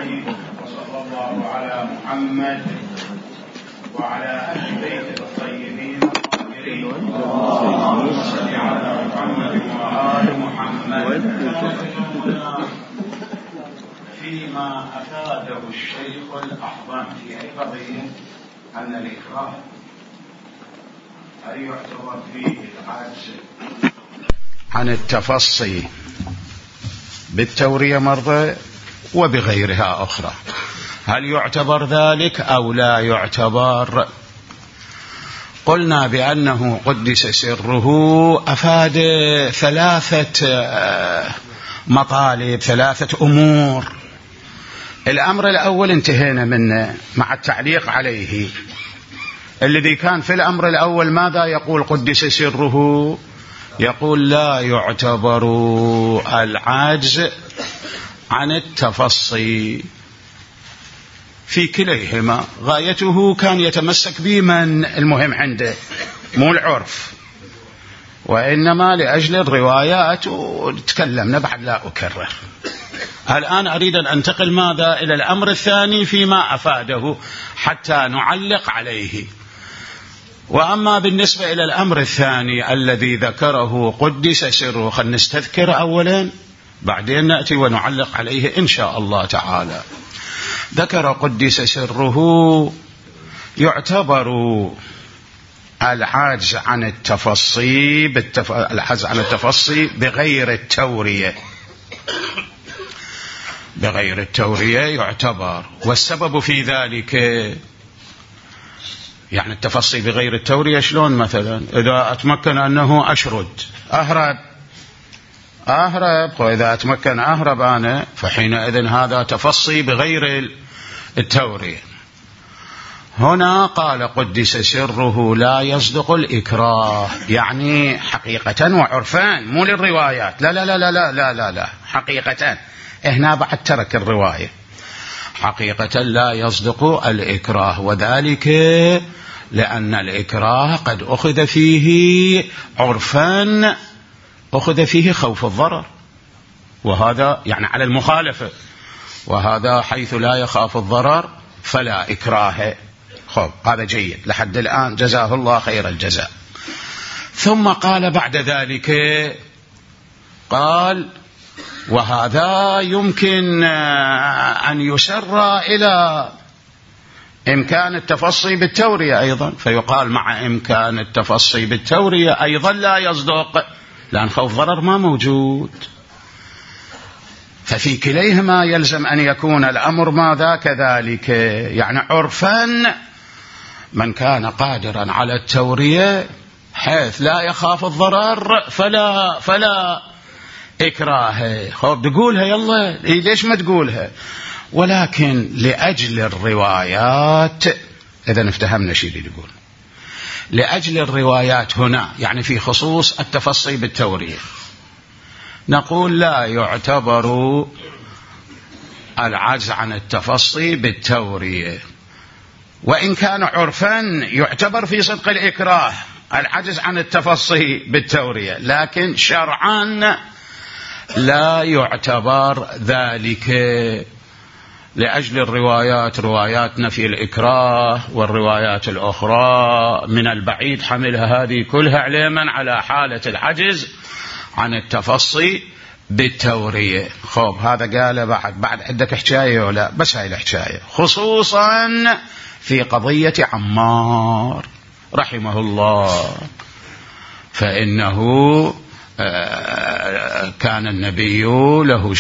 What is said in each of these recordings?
أجمعين، وصلى الله على محمد وعلى أهل بيته الطيبين الطاهرين. اللهم صل على محمد وآل محمد. فيما أفاده الشيخ الأعظم في قضية أن الإكراه هل يعتبر فيه العجز عن التفصي بالتورية مرة وبغيرها أخرى، هل يعتبر ذلك أو لا يعتبر؟ قلنا بأنه قدس سره أفاد ثلاثة مطالب، ثلاثة أمور. الأمر الأول انتهينا منه مع التعليق عليه. الذي كان في الأمر الأول ماذا يقول قدس سره؟ يقول لا يعتبر العجز عن التفصي في كليهما. غايته كان يتمسك بمن المهم عنده، مو العرف، وإنما لأجل الروايات، وتكلمنا بعد لا أكرر. الآن أريد أن أنتقل ماذا إلى الأمر الثاني فيما أفاده حتى نعلق عليه. وأما بالنسبة إلى الأمر الثاني الذي ذكره قدس سره، خلنا نستذكر أولا بعدين نأتي ونعلق عليه إن شاء الله تعالى. ذكر قدس سره يعتبر العجز عن التفصي العجز عن التفصي بغير التورية. بغير التورية يعتبر، والسبب في ذلك يعني التفصي بغير التورية شلون؟ مثلا إذا أتمكن أنه أشرد أهرب، وإذا أتمكن أهرب أنا، فحينئذ هذا تفصي بغير التورية. هنا قال قدس سره لا يصدق الإكراه، يعني حقيقة وعرفان، مو للروايات، لا لا لا لا لا لا لا، حقيقة. هنا بعد ترك الرواية. حقيقة لا يصدق الإكراه، وذلك لأن الإكراه قد أخذ فيه عرفان، أخذ فيه خوف الضرر، وهذا يعني على المخالفة، وهذا حيث لا يخاف الضرر فلا إكراه. خب هذا جيد لحد الآن، جزاه الله خير الجزاء. ثم قال بعد ذلك، قال وهذا يمكن أن يسر إلى إمكان التفصي بالتورية أيضا، فيقال مع إمكان التفصي بالتورية أيضا لا يصدق، لأن خوف ضرر ما موجود. ففي كليهما يلزم أن يكون الأمر ماذا كذلك، يعني عرفا من كان قادرا على التورية حيث لا يخاف الضرر فلا إكراه. خوف تقولها يلا، ليش ما تقولها؟ ولكن لأجل الروايات، إذا افتهمنا شيء اللي يقول لأجل الروايات هنا، يعني في خصوص التفصي بالتورية، نقول لا يعتبر العجز عن التفصي بالتورية، وإن كان عرفا يعتبر في صدق الإكراه العجز عن التفصي بالتورية، لكن شرعا لا يعتبر ذلك لأجل الروايات، روايات نفي الإكراه والروايات الأخرى من البعيد حملها هذه كلها علما على حالة العجز عن التفصي بالتورية. خب هذا قال بعد عندك حكاية ولا بس هاي الحكاية، خصوصا في قضية عمار رحمه الله، فإنه كان النبي له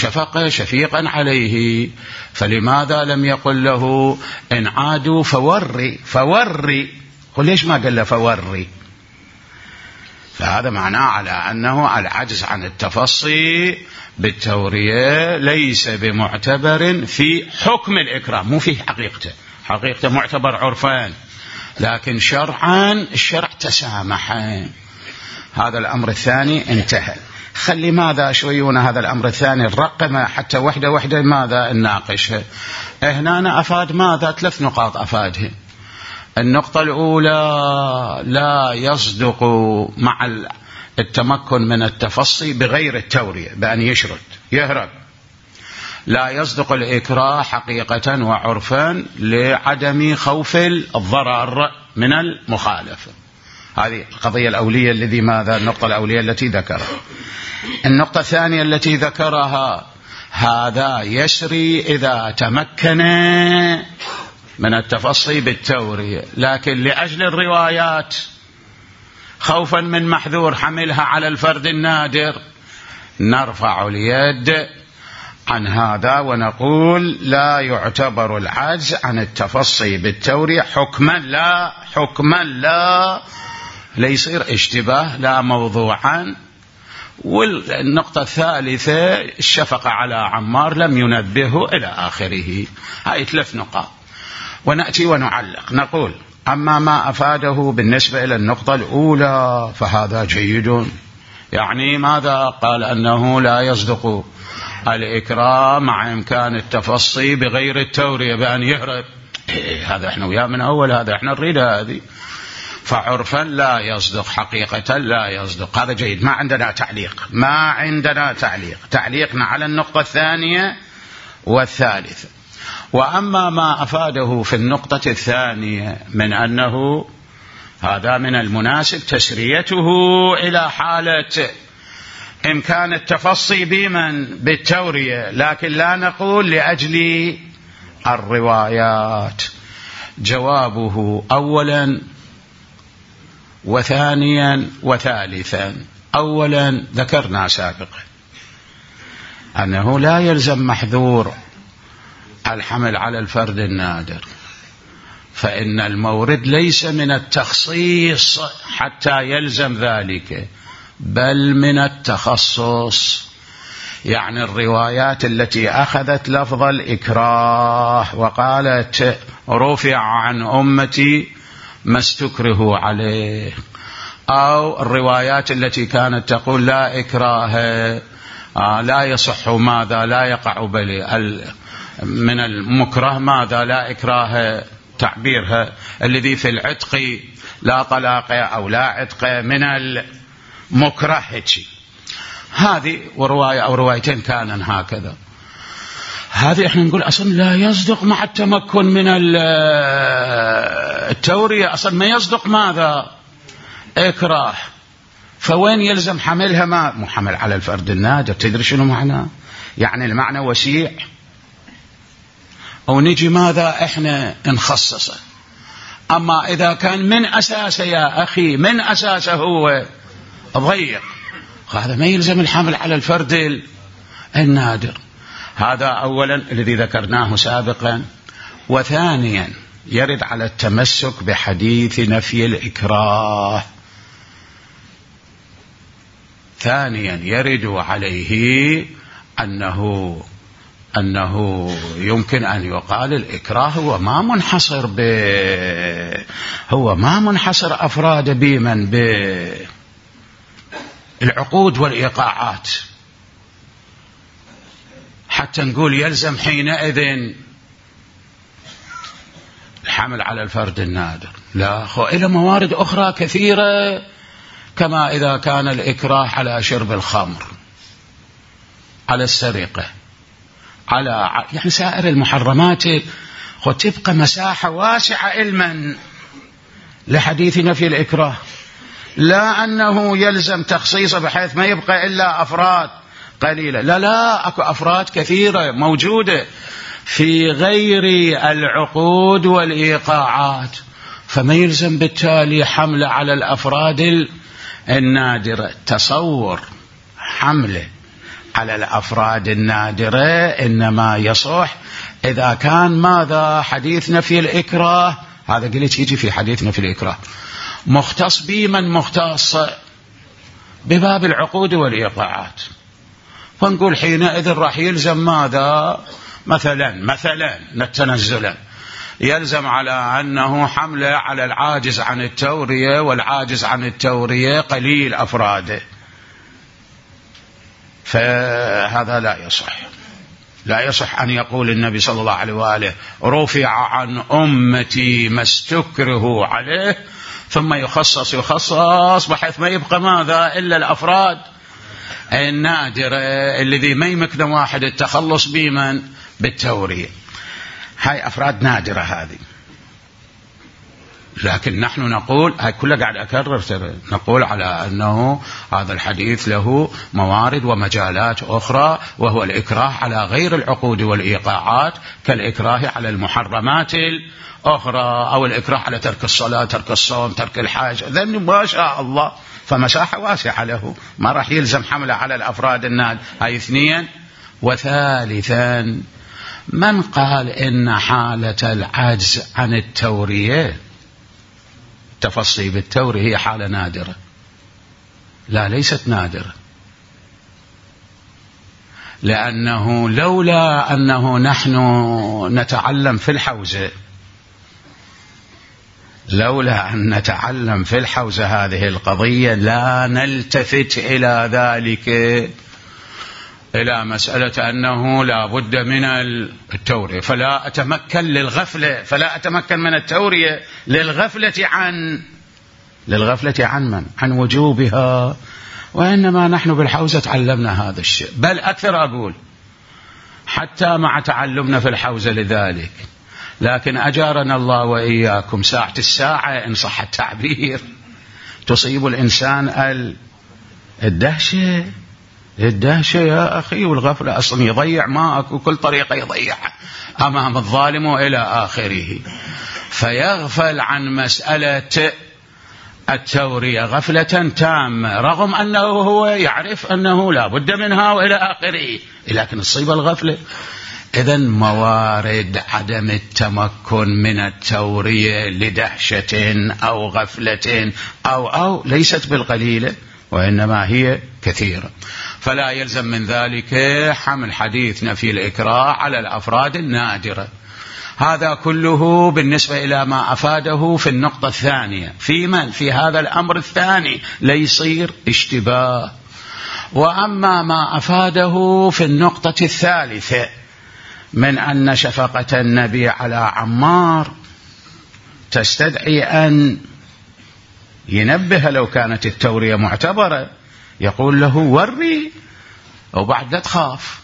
شفيقا عليه، فلماذا لم يقل له إن عادوا فوري؟ قل ليش ما قال له فوري؟ فهذا معناه على أنه العجز عن التفصي بالتورية ليس بمعتبر في حكم الإكراه، مو في حقيقته معتبر عرفان، لكن شرعا الشرع تسامح. هذا الأمر الثاني انتهى. خلي ماذا شويونا هذا الأمر الثاني الرقمة حتى وحدة ماذا نناقشها. هنا أنا أفاد ماذا 3 نقاط أفادها. النقطة الأولى لا يصدق مع التمكن من التفصي بغير التورية، بأن يهرب. لا يصدق الإكراه حقيقة وعرفا لعدم خوف الضرر من المخالفة. هذه القضية الأولية الذي ماذا النقطة الأولية التي ذكرها. النقطة الثانية التي ذكرها هذا يسري إذا تمكن من التفصي بالتورية، لكن لأجل الروايات خوفا من محذور حملها على الفرد النادر نرفع اليد عن هذا ونقول لا يعتبر العجز عن التفصي بالتورية حكما لا ليصير اشتباه لا موضوعا. والنقطة الثالثة الشفقة على عمار لم ينبهه إلى آخره. هاي 3 نقاط. ونأتي ونعلق نقول أما ما أفاده بالنسبة إلى النقطة الأولى فهذا جيد. يعني ماذا قال؟ أنه لا يصدق الإكراه مع إمكان التفصي بغير التورية بأن يهرب. هذا احنا وياه من أول، هذا احنا نريد هذه. فعرفا لا يصدق حقيقة لا يصدق. هذا جيد. ما عندنا تعليق. تعليقنا على النقطة الثانية والثالثة. وأما ما أفاده في النقطة الثانية من أنه هذا من المناسب تسريته إلى حالة إمكان التفصي بالتورية، لكن لا نقول لأجل الروايات. جوابه أولا وثانيا وثالثا. أولا ذكرنا سابقا أنه لا يلزم محذور الحمل على الفرد النادر، فإن المورد ليس من التخصيص حتى يلزم ذلك، بل من التخصص. يعني الروايات التي أخذت لفظ الإكراه وقالت رفع عن أمتي ما استكره عليه، أو الروايات التي كانت تقول لا إكراه لا يصح ماذا لا يقع من المكره ماذا لا إكراه تعبيرها الذي في العتق لا طلاق أو لا عتق من المكره. هذه ورواية أو روايتين كان هكذا. هذه احنا نقول أصلا لا يصدق مع التمكن من التورية، أصلا ما يصدق ماذا إكراه. فوين يلزم حملها؟ ما محمل على الفرد النادر. تدري شنو معناه؟ يعني المعنى وسيع. أو نجي ماذا إحنا نخصصه. أما إذا كان من أساسه يا أخي من أساسه هو ضيق، هذا ما يلزم الحمل على الفرد النادر. هذا أولا الذي ذكرناه سابقا. وثانيا يرد على التمسك بحديث نفي الإكراه. ثانيا يرد عليه أنه يمكن أن يقال الإكراه هو ما منحصر أفراد بمن بالعقود والإيقاعات حتى نقول يلزم حينئذ الحمل على الفرد النادر. لا، إلى موارد أخرى كثيرة، كما إذا كان الإكراه على شرب الخمر، على السرقة، على يعني سائر المحرمات، وتبقى مساحة واسعة علما لحديث نفي الإكراه. لا أنه يلزم تخصيصه بحيث ما يبقى إلا أفراد قليلة. لا، أكو أفراد كثيرة موجودة في غير العقود والإيقاعات، فما يلزم بالتالي حمله على الأفراد النادرة. تصور حمله على الأفراد النادرة إنما يصح إذا كان ماذا حديث نفي الإكراه، هذا قلت يجي في حديث نفي الإكراه مختص بمن مختص بباب العقود والإيقاعات. فنقول حينئذ راح يلزم ماذا مثلا نتنزلا يلزم على أنه حمله على العاجز عن التورية، والعاجز عن التورية قليل أفراده، فهذا لا يصح أن يقول النبي صلى الله عليه وآله رفع عن أمتي ما استكره عليه ثم يخصص بحيث ما يبقى ماذا إلا الأفراد النادرة الذي ما يمكن واحد التخلص بمن بالتورية. هاي أفراد نادرة هذه. لكن نحن نقول، هاي كلها قاعد أكرر، نقول على أنه هذا الحديث له موارد ومجالات أخرى، وهو الإكراه على غير العقود والإيقاعات، كالإكراه على المحرمات الأخرى، أو الإكراه على ترك الصلاة، ترك الصوم، ترك الحج، ذن ما شاء الله، فمساحة واسعة له، ما راح يلزم حمله على الأفراد الناد. هاي اثنين. وثالثا، من قال إن حالة العجز عن التورية، التفصي بالتورية، هي حالة نادرة؟ لا، ليست نادرة، لأنه لولا أنه نحن نتعلم في الحوزة، لولا أن نتعلم في الحوزة هذه القضية لا نلتفت إلى ذلك، إلى مسألة أنه لا بد من التورية، فلا أتمكن للغفلة، فلا أتمكن من التورية للغفلة عن من؟ عن وجوبها. وإنما نحن بالحوزة تعلمنا هذا الشيء، بل أكثر أقول حتى مع تعلمنا في الحوزة لذلك، لكن أجارنا الله وإياكم ساعة الساعة إن صح التعبير تصيب الإنسان الدهشة يا أخي، والغفلة أصلا يضيع ماءك وكل طريقة يضيع أمام الظالم وإلى آخره، فيغفل عن مسألة التورية غفلة تامة، رغم أنه هو يعرف أنه لا بد منها وإلى آخره، لكن تصيب الغفلة. إذن موارد عدم التمكن من التورية لدهشة أو غفلة أو ليست بالقليلة، وإنما هي كثيرة، فلا يلزم من ذلك حمل حديث نفي الإكراه على الأفراد النادرة. هذا كله بالنسبة إلى ما أفاده في النقطة الثانية، في هذا الأمر الثاني ليصير اشتباه. وأما ما أفاده في النقطة الثالثة من أن شفقة النبي على عمار تستدعي أن ينبه لو كانت التورية معتبرة، يقول له وري وبعد لا تخاف،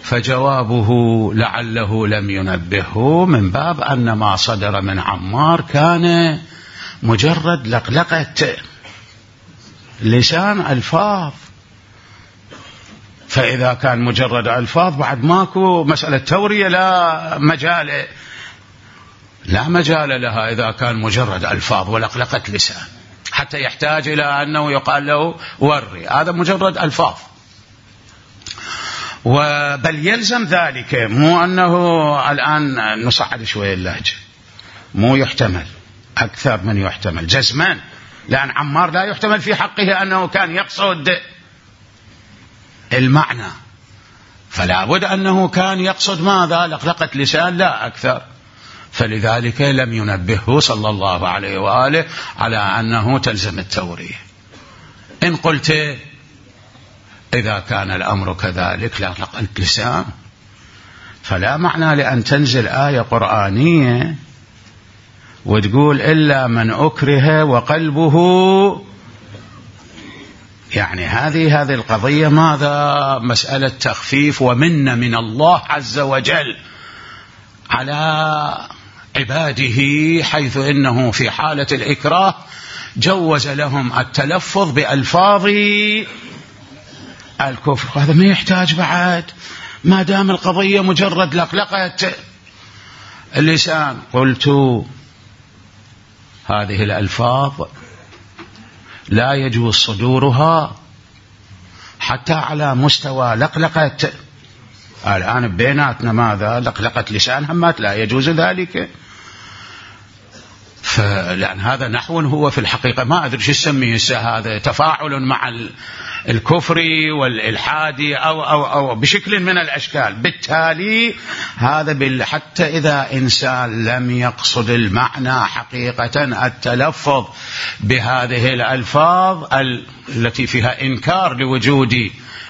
فجوابه لعله لم ينبهه من باب أن ما صدر من عمار كان مجرد لقلقة لسان ألفاظ، فإذا كان مجرد ألفاظ بعد ماكو مسألة تورية لا مجال لها إذا كان مجرد ألفاظ ولقلقة لسان، حتى يحتاج إلى أنه يقال له وري، هذا مجرد ألفاظ. بل يلزم ذلك، مو أنه الآن نصعد شوية اللهجة، مو يحتمل أكثر من يحتمل جزمان، لأن عمار لا يحتمل في حقه أنه كان يقصد المعنى، فلا بد أنه كان يقصد ماذا؟ لقلقة لسان لا أكثر، فلذلك لم ينبهه صلى الله عليه وآله على أنه تلزم التورية. إن قلت إذا كان الأمر كذلك لا لقلقة لسان، فلا معنى لأن تنزل آية قرآنية وتقول إلا من أكره وقلبه، يعني هذه القضية ماذا؟ مسألة تخفيف ومنة من الله عز وجل على عباده، حيث إنه في حالة الإكراه جوز لهم التلفظ بألفاظ الكفر، هذا ما يحتاج بعد، ما دام القضية مجرد لقلقة اللسان. قلت هذه الألفاظ لا يجوز صدورها حتى على مستوى لقلقة، الآن بيناتنا ماذا؟ لقلقة لسان همات لا يجوز ذلك، فلأن هذا نحو هو في الحقيقة ما أدري شو اسميه هذا، تفاعل مع الكفر والإلحاد أو بشكل من الأشكال. بالتالي هذا حتى إذا إنسان لم يقصد المعنى حقيقة التلفظ بهذه الألفاظ التي فيها إنكار لوجود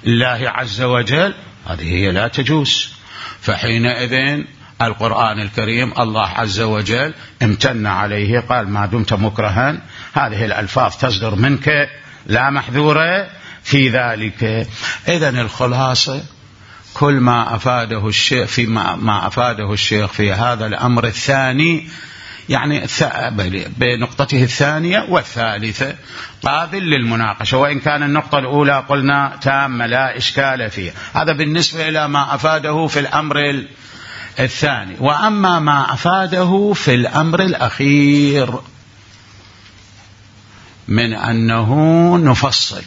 الله عز وجل، هذه هي لا تجوز. فحينئذ القرآن الكريم الله عز وجل امتن عليه، قال ما دمت مكرها هذه الألفاظ تصدر منك لا محذورة في ذلك. إذن الخلاصة كل ما أفاده الشيخ ما أفاده الشيخ في هذا الأمر الثاني، يعني بنقطته الثانية والثالثة قابل للمناقشة، وإن كان النقطة الأولى قلنا تامة لا إشكال فيها. هذا بالنسبة إلى ما أفاده في الأمر الثاني. وأما ما أفاده في الأمر الأخير من أنه نفصل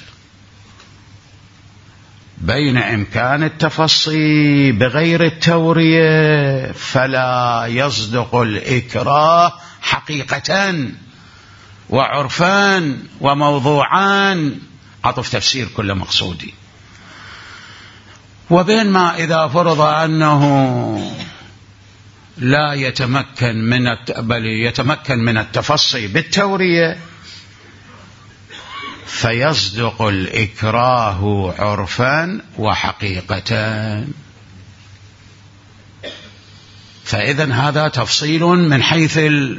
بين إمكان التفصي بغير التورية فلا يصدق الإكراه حقيقة وعرفان وموضوعان، عطف تفسير كل مقصودي، وبين ما إذا فرض أنه لا يتمكن من التفصي بالتورية فيصدق الإكراه عرفا وحقيقة. فإذا هذا تفصيل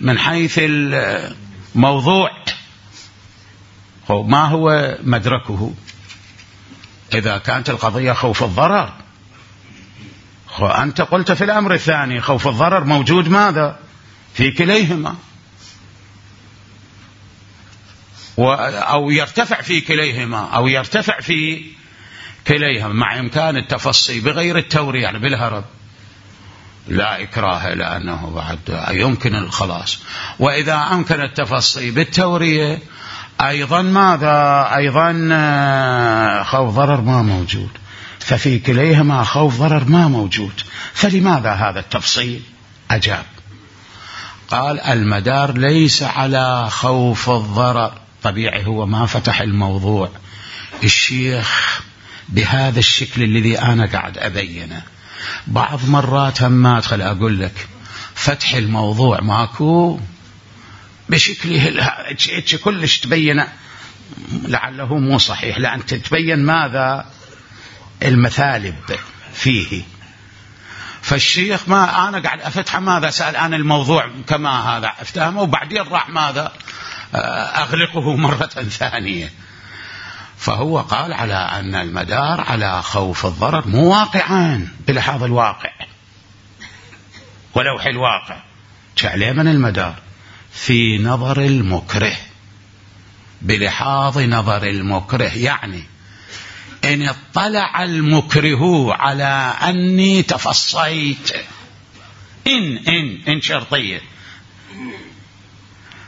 من حيث الموضوع. ما هو مدركه إذا كانت القضية خوف الضرر؟ أنت قلت في الأمر الثاني خوف الضرر موجود ماذا في كليهما، أو يرتفع في كليهما أو يرتفع في كليهما مع إمكان التفصي بغير التورية يعني بالهرب لا إكراه لأنه بعد يمكن الخلاص. وإذا أمكن التفصي بالتورية أيضا ماذا؟ أيضا خوف ضرر ما موجود، ففي كليهما خوف ضرر ما موجود، فلماذا هذا التفصيل؟ أجاب قال المدار ليس على خوف الضرر. طبيعي هو ما فتح الموضوع الشيخ بهذا الشكل الذي أنا قاعد أبينه. بعض مرات هم أدخل أقول لك فتح الموضوع ماكو بشكله كلش تبين لعله مو صحيح، لأن تتبين ماذا المثالب فيه. فالشيخ ما أنا قاعد أفتح ماذا سأل أنا الموضوع كما هذا أفتهمه وبعدين راح ماذا أغلقه مرة ثانية. فهو قال على أن المدار على خوف الضرر مو واقعان بلحاظ الواقع ولوح الواقع. شعليه من المدار في نظر المكره بلحاظ نظر المكره، يعني إن اطلع المكره على أني تفصيت إن شرطية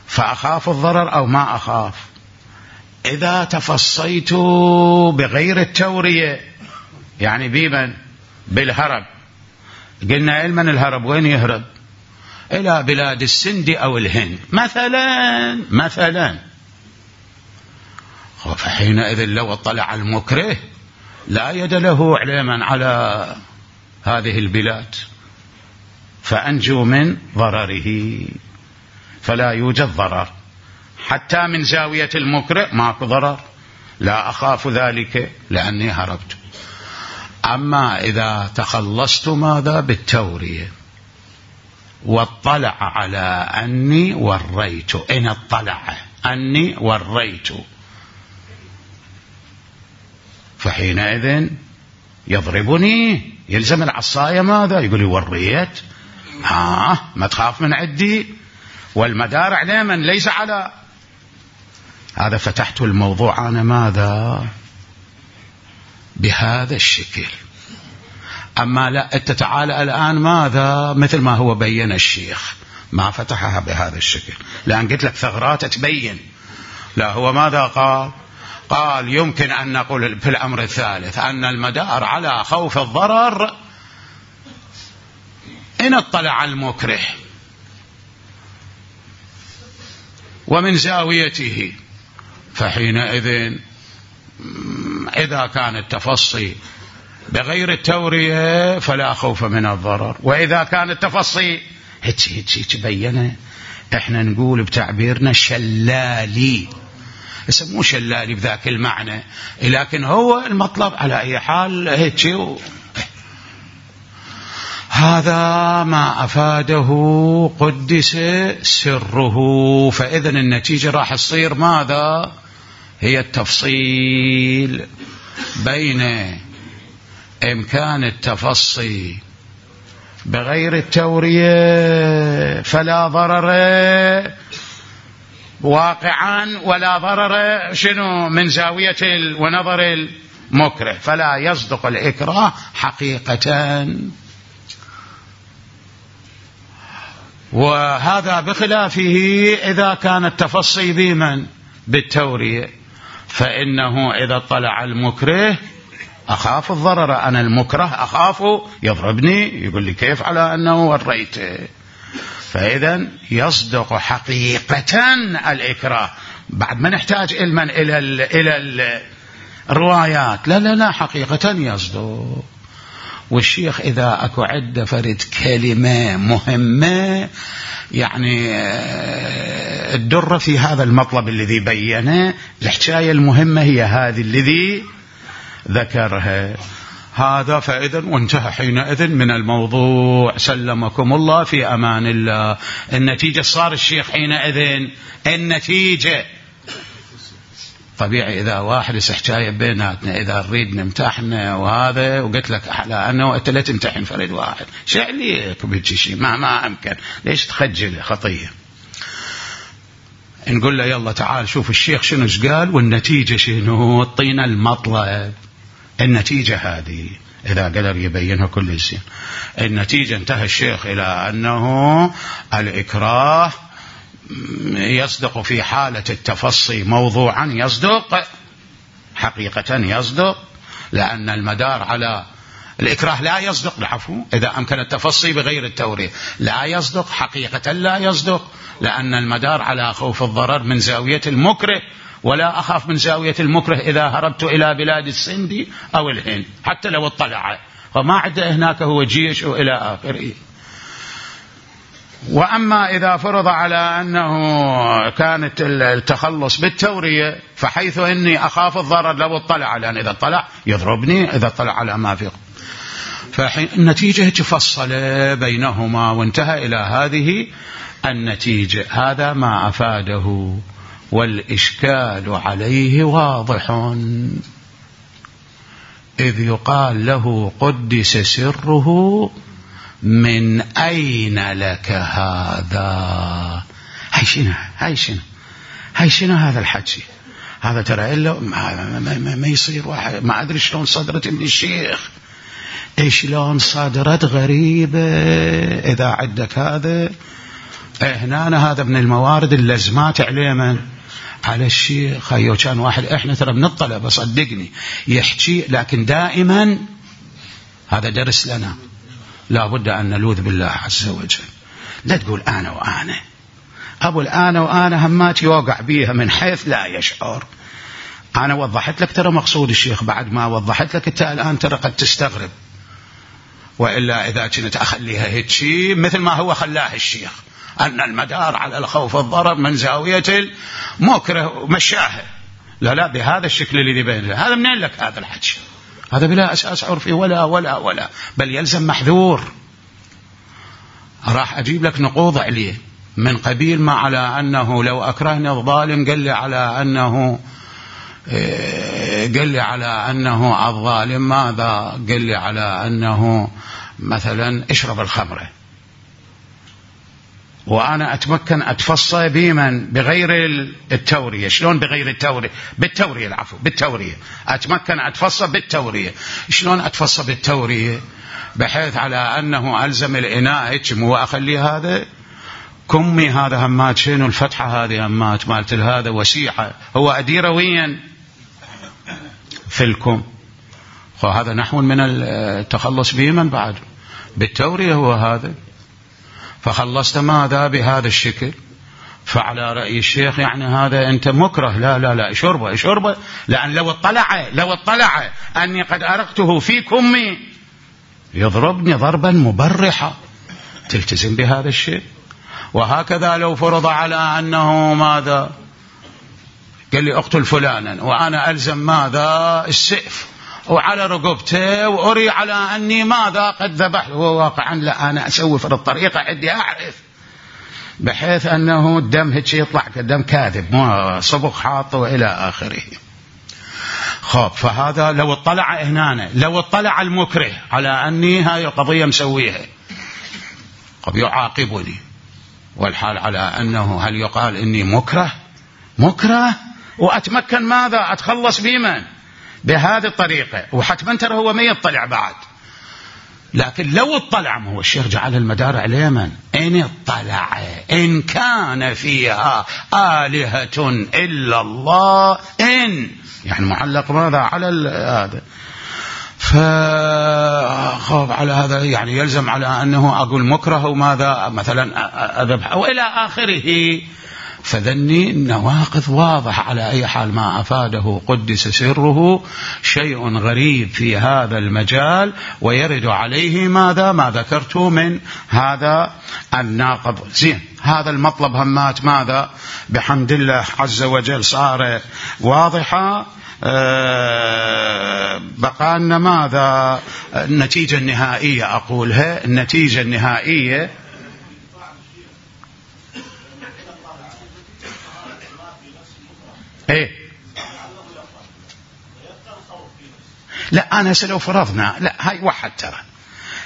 فأخاف الضرر أو ما أخاف. إذا تفصيت بغير التورية يعني بمن بالهرب، قلنا علما الهرب وين يهرب؟ إلى بلاد السند أو الهند مثلا فحينئذ لو اطلع المكره لا يد له علما على هذه البلاد فأنجو من ضرره، فلا يوجد ضرر حتى من زاوية المكره ماكو ضرر، لا أخاف ذلك لأني هربت. أما إذا تخلصت ماذا بالتورية واطلع على أني وريت، إن اطلع أني وريت فحينئذ يضربني، يلزم العصاية ماذا يقول لي وريت ما تخاف من عدي، والمدار على من ليس على هذا. فتحت الموضوع أنا ماذا بهذا الشكل. أما لا أنت تعالى الآن ماذا مثل ما هو بين الشيخ ما فتحها بهذا الشكل، لأن قلت لك ثغرات تبين. لا هو ماذا قال يمكن أن نقول في الأمر الثالث أن المدار على خوف الضرر إن اطلع المكره ومن زاويته، فحينئذ إذا كان التفصي بغير التورية فلا خوف من الضرر. وإذا كان التفصي هيك بينه، احنا نقول بتعبيرنا شلالي، مو شلالي بذاك المعنى، لكن هو المطلب على أي حال هيك. هذا ما أفاده قدس سره. فإذن النتيجة راح تصير ماذا هي التفصيل بين إمكان التفصي بغير التورية فلا ضرر واقعا ولا ضرر شنو من زاوية ونظر المكره، فلا يصدق الإكراه حقيقة. وهذا بخلافه إذا كان التفصي بمن بالتورية، فإنه إذا طلع المكره أخاف الضرر، أنا المكره أخاف يضربني يقول لي كيف على أنه وريته، فإذا يصدق حقيقة الإكراه. بعد ما نحتاج علما إلى الروايات، لا حقيقة يصدق. والشيخ إذا أكو عدة فرد كلمة مهمة يعني الدرة في هذا المطلب الذي بينه، الحكاية المهمة هي هذه الذي ذكرها هذا، فإذا وانتهى حينئذ من الموضوع. سلمكم الله في أمان الله. النتيجة صار الشيخ حينئذ النتيجة طبيعي إذا واحد حكاية بيناتنا إذا نريد نمتحن وهذا وقلت لك على أنه أنت لا تمتحن فرد واحد شعليك بهيك شيء ما أمكن، ليش تخجل خطية؟ نقول له يلا تعال شوف الشيخ شنو قال والنتيجة شنو، اعطينا المطلب. النتيجة هذه إذا قدر يبينها كل زين. النتيجة انتهى الشيخ إلى أنه الإكراه يصدق في حالة التفصي موضوعا، يصدق حقيقة يصدق، لأن المدار على الإكراه لا يصدق، العفو إذا أمكن التفصي بغير التورية لا يصدق حقيقة، لا يصدق لأن المدار على خوف الضرر من زاوية المكره، ولا أخاف من زاوية المكره إذا هربت إلى بلاد السند أو الهند حتى لو اطلع، فما عنده هناك هو جيش وإلى آخره. وأما إذا فرض على أنه كانت التخلص بالتورية، فحيث إني أخاف الضرر لو اطلع، لأن إذا اطلع يضربني إذا اطلع على ما فيه، فالنتيجة تفصل بينهما وانتهى إلى هذه النتيجة. هذا ما أفاده، والإشكال عليه واضح، إذ يقال له قدس سره من أين لك هذا؟ هاي شنو هذا الحكي؟ هذا ترى إلا ما يصير واحد ما أدري شلون صدرت من الشيخ، شلون صدرت غريبة. إذا عندك هذا هنا هذا من الموارد اللزمات عليه من على الشيخ. هيو كان واحد إحنا ترى بنطلع بصدقني يحكي، لكن دائما هذا درس لنا، لا بد أن نلوذ بالله عز وجل. لا تقول أنا وأنا، أبو الأنا وأنا همات يوقع بيها من حيث لا يشعر. أنا وضحت لك ترى مقصود الشيخ، بعد ما وضحت لك أنت الآن ترى قد تستغرب، وإلا إذا كنت أخليها هيك شيء مثل ما هو خلاه الشيخ، أن المدار على الخوف الضرر من زاوية المكره مشاهد، لا بهذا الشكل الذي بين هذا. منين لك هذا الحكي؟ هذا بلا أساس عرفي ولا بل يلزم محذور. راح أجيب لك نقوض عليه من قبيل ما على أنه لو أكرهني الظالم قال لي على أنه الظالم ماذا؟ قال لي على أنه مثلا اشرب الخمرة، وأنا أتمكن أتفصى بمن بغير التورية. شلون بغير التورية؟ بالتورية، العفو بالتورية. أتمكن أتفصى بالتورية. شلون أتفصى بالتورية؟ بحيث على أنه ألزم الإناء هيك وأخلي هذا كمي هذا همات شنو الفتحة هذه همات مالت هذا وسيحة، هو أديره وين في الكم، وهذا نحو من التخلص بمن بعد بالتورية هو هذا. فخلصت ماذا بهذا الشكل، فعلى رأي الشيخ يعني هذا أنت مكره، لا شربه، لأن لو اطلع أني قد أرقته في كمي يضربني ضربا مبرحا، تلتزم بهذا الشيء. وهكذا لو فرض على أنه ماذا قال لي اقتل فلانا، وأنا ألزم ماذا السيف وعلى رقبته وأري على أني ماذا قد ذبح، هو واقعا لا أنا أسوي في الطريقة عندي أعرف بحيث أنه الدم هيك يطلع كدم كاذب صبغ حاط وإلى آخره. خب فهذا لو اطلع هنا، لو اطلع المكره على أني هاي القضية مسويها قد يعاقبني، والحال على أنه هل يقال إني مكره وأتمكن ماذا أتخلص بمن بهذه الطريقة، وحتما ترى هو ما يطلع بعد. لكن لو اطلع، ما هو الشيخ جعل المدار على من إن اطلع إن كان فيها آلهة إلا الله، إن يعني معلق ماذا على هذا. فخاف على هذا يعني يلزم على أنه أقول مكره وماذا مثلا أذبح أو إلى آخره. فذني النواقض واضح. على أي حال ما أفاده قدس سره شيء غريب في هذا المجال، ويرد عليه ماذا ما ذكرت من هذا الناقض. زين، هذا المطلب همات ماذا بحمد الله عز وجل صار واضحة. بقى لنا ماذا النتيجة النهائية أقولها. النتيجة النهائية إيه؟ لا أنا لو فرضنا، لا هاي واحد ترى،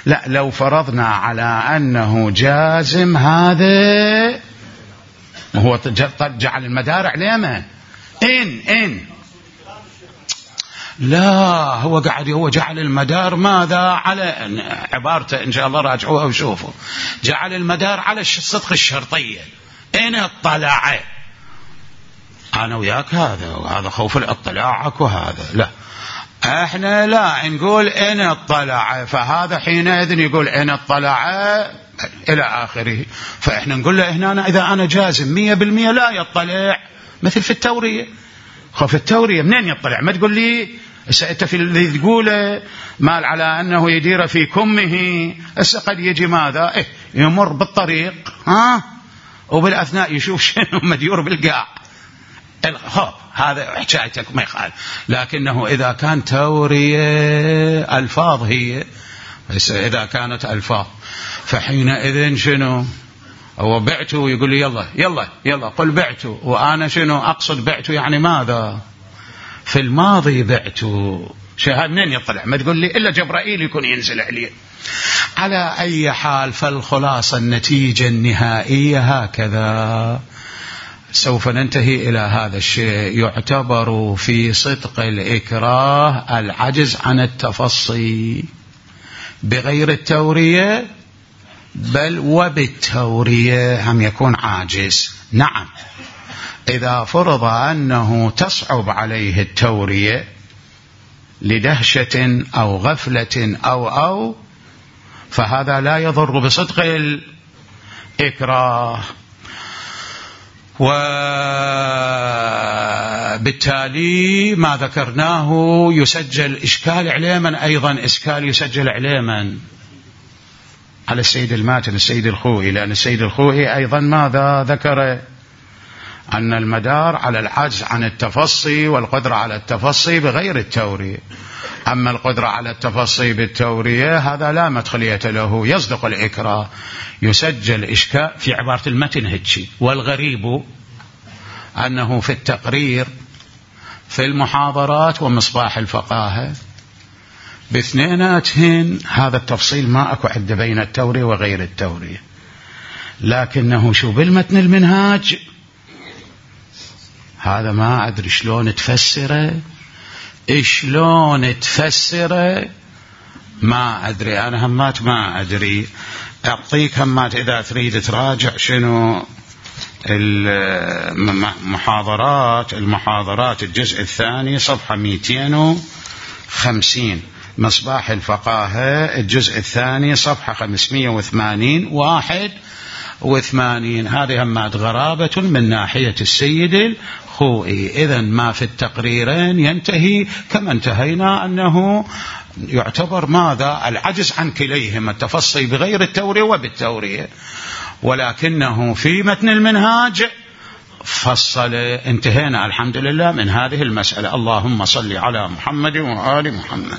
لا لو فرضنا على أنه جازم هذا، هو جعل المدار عليه ما إن لا هو قاعد هو جعل المدار ماذا على عبارته إن شاء الله راجعوها وشوفوا. جعل المدار على الصدق الشرطية إن اطلع. أنا وياك هذا وهذا خوف الاطلاعك وهذا لا، احنا لا نقول إن اطلع، فهذا حينئذ يقول إن اطلع إلى آخره. فإحنا نقول له هنا إذا أنا جازم 100% لا يطلع، مثل في التورية. في التورية منين يطلع؟ ما تقول لي أنت في اللي تقوله مال على أنه يدير في كمه، قد يجي ماذا يمر بالطريق وبالأثناء يشوف شنو مديور بالقاع. هذا حكايتك ما يخالف. لكنه إذا كان تورية ألفاظ هي، إذا كانت ألفاظ فحينئذ شنو هو بعته يقول لي يلا يلا يلا قل بعته، وأنا شنو أقصد بعته يعني ماذا في الماضي بعته. شهاد منين يطلع؟ ما تقول لي إلا جبرائيل يكون ينزل عليه. على أي حال فالخلاصة النتيجة النهائية هكذا. سوف ننتهي إلى هذا الشيء. يعتبر في صدق الإكراه العجز عن التفصي بغير التورية، بل وبالتورية هم يكون عاجز. نعم، إذا فرض أنه تصعب عليه التورية لدهشة أو غفلة أو فهذا لا يضر بصدق الإكراه. وبالتالي ما ذكرناه يسجل إشكال عليما، أيضا إشكال يسجل عليما على السيد الماتن السيد الخوئي، لأن السيد الخوئي أيضا ماذا ذكر؟ أن المدار على العجز عن التفصي والقدرة على التفصي بغير التورية. أما القدرة على التفصي بالتورية هذا لا مدخلية له، يصدق الإكراه. يسجل إشكال في عبارة المتن هتشي. والغريب أنه في التقرير في المحاضرات ومصباح الفقاهة باثنيناتهن هذا التفصيل ما أكو عد بين التورية وغير التورية. لكنه شو بالمتن المنهاج هذا ما أدري شلون تفسره ما أدري. أنا همات ما أدري. أعطيك همات إذا تريد تراجع شنو المحاضرات الجزء الثاني صفحة 250 مصباح الفقاهة الجزء الثاني صفحة 580 81. هذه همات غرابة من ناحية السيد الخوئي. إذن ما في التقريرين ينتهي كما انتهينا، أنه يعتبر ماذا العجز عن كليهما، التفصي بغير التورية وبالتورية. ولكنه في متن المنهاج فصل. انتهينا الحمد لله من هذه المسألة. اللهم صل على محمد وآل محمد.